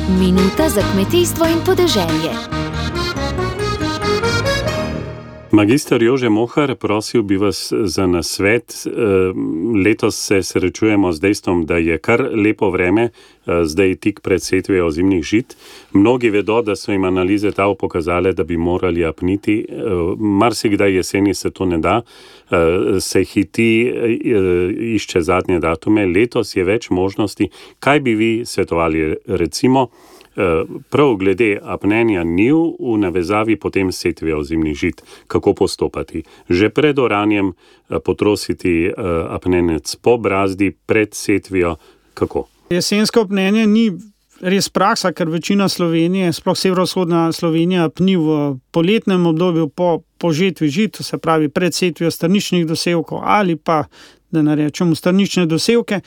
Minuta za kmetijstvo in podeželje. Magister Jože Mohar, prosil bi vas za nasvet. Letos se srečujemo z dejstvom, da je kar lepo vreme, zdaj tik pred setvijo zimnih žit. Mnogi vedo, da so jim analize TAV pokazale, da bi morali apniti. Marsikdaj jeseni se to ne da, se hiti, išče zadnje datume. Letos je več možnosti. Kaj bi vi svetovali, recimo, prav glede apnenja njiv v navezavi potem setvijo zimnih žit? Kako postopati? Že pred oranjem potrositi apnenec po brazdi, pred setvijo, kako? Jesensko apnenje ni res praksa, ker večina Slovenije, sploh severovzhodna Slovenija, apni v poletnem obdobju po žetvi žit, se pravi pred setvijo strničnih dosevkov ali pa, da ne rečemo, strnične dosevke.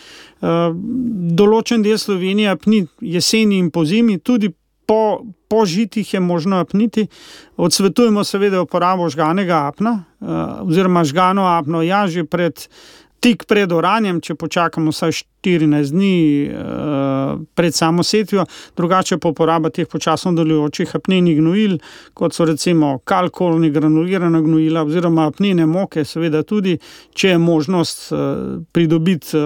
Določen del Slovenije apni jeseni in pozimi, tudi po žitih je možno apniti. Odsvetujemo seveda uporabo žganega apna, oziroma žgano apno že tik pred oranjem, če počakamo vsaj 14 dni pred samo setvijo, drugače pa uporaba teh počasno delujočih apnenih gnojil, kot so recimo kalkolni granulirana gnojila oziroma apnene moke, seveda tudi, če je možnost pridobiti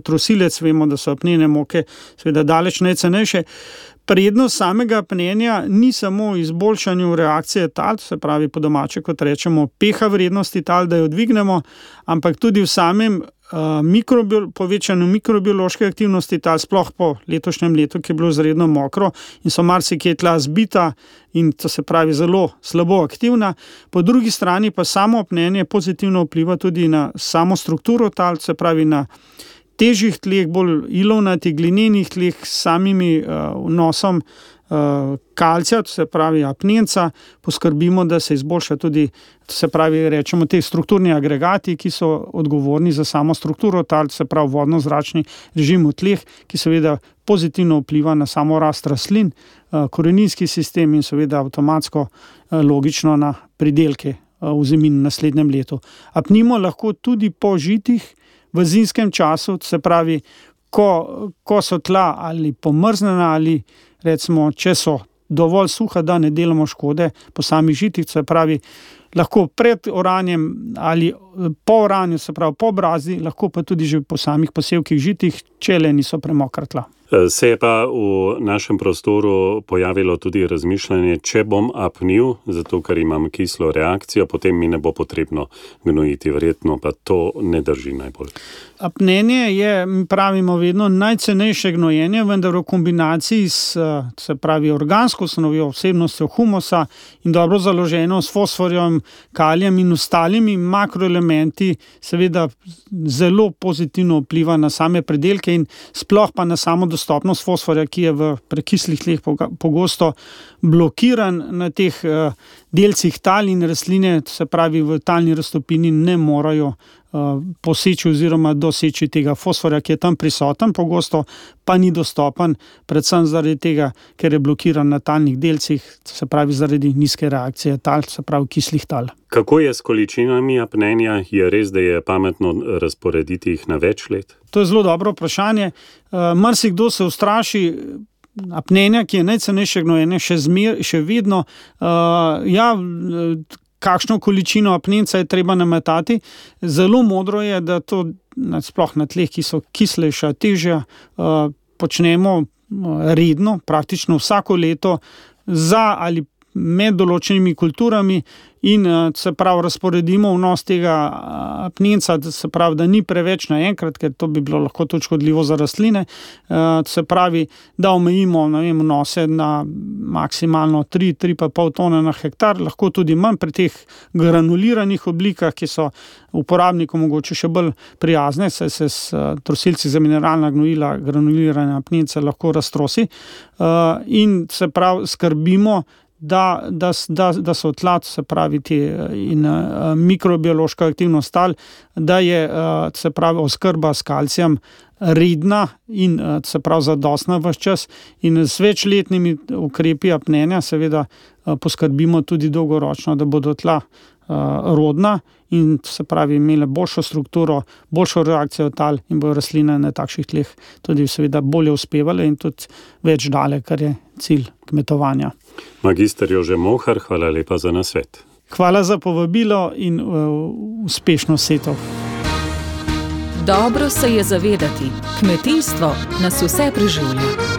trosilec, vemo, da so apnene moke seveda daleč najcenejše. Prednost samega apnenja ni samo v izboljšanju reakcije tal, se pravi po domače, kot rečemo, pH vrednosti tal, da jo dvignemo, ampak tudi v samem povečanju mikrobiološke aktivnosti tal, sploh po letošnjem letu, ki je bilo izredno mokro in so marsikje tla zbita in to se pravi zelo slabo aktivna. Po drugi strani pa samo apnenje pozitivno vpliva tudi na samo strukturo tal, se pravi na težjih tleh, bolj ilovnatih, glinenih tleh s samimi vnosom kalcija, to se pravi apnenca, poskrbimo, da se izboljša tudi, to se pravi, rečemo, te strukturni agregati, ki so odgovorni za samo strukturo tal, to se pravi vodno-zračni režim v tleh, ki seveda pozitivno vpliva na samo rast rastlin, koreninski sistem in seveda avtomatsko logično na pridelke v zimi in naslednjem letu. Apnimo lahko tudi po žitih, v zimskem času, se pravi, ko so tla ali pomrznjena ali recimo, če so dovolj suha, da ne delamo škode po samih žitih, se pravi, lahko pred oranjem ali po oranju, se pravi po brazdi, lahko pa tudi že po samih posevkih žitih, če le niso premokra tla. Se je pa v našem prostoru pojavilo tudi razmišljanje, če bom apnil, zato ker imam kislo reakcijo, potem mi ne bo potrebno gnojiti, verjetno pa to ne drži najbolj. Apnenje je, pravimo vedno, najcenejše gnojenje, vendar v kombinaciji s, se pravi, organsko snovjo, vsebnostjo humusa in dobro založeno s fosforjem, kalijem in ostalimi makroelementi, seveda zelo pozitivno vpliva na same predelke in sploh pa na samo dostopnost fosforja, ki je v prekislih tleh pogosto blokiran na teh delcih tal in rastline, se pravi v talni raztopini ne morajo poseči oziroma doseči tega fosforja, ki je tam prisoten, pogosto pa ni dostopen, predvsem zaradi tega, ker je blokiran na talnih delcih, se pravi zaradi nizke reakcije tal, se pravi kislih tal. Kako je s količinami apnenja? Je res, da je pametno razporediti jih na več let? To je zelo dobro vprašanje. Marsikdo se ustraši apnenja, ki je najcenejše gnojenje, še vedno. Kakšno količino apnenca je treba nametati. Zelo modro je, da to sploh na tleh, ki so kislejša, težja, počnemo redno, praktično vsako leto za ali med določenimi kulturami in se pravi razporedimo vnos tega apnenca, se pravi, da ni preveč naenkrat, ker to bi bilo lahko tudi škodljivo za rastline, se pravi, da omejimo vnose na maksimalno 3,5 tone na hektar, lahko tudi manj pri teh granuliranih oblikah, ki so uporabnikom mogoče še bolj prijazne, saj se s trosilci za mineralna gnojila granulirane apnence lahko raztrosi in se pravi skrbimo, da so tla, se pravi, in mikrobiološka aktivnost tal, da je, se pravi, oskrba s kalcijem redna in se pravi zadostna ves čas in s večletnimi ukrepi apnenja seveda poskrbimo tudi dolgoročno, da bodo tla rodna in se pravi imele boljšo strukturo, boljšo reakcijo tal in bojo rastline na takšnih tleh tudi seveda bolje uspevale in tudi več dale, kar je cilj kmetovanja. Magister Jože Mohar, hvala lepa za nasvet. Hvala za povabilo in uspešno setev. Dobro se je zavedati, kmetijstvo nas vse preživlja.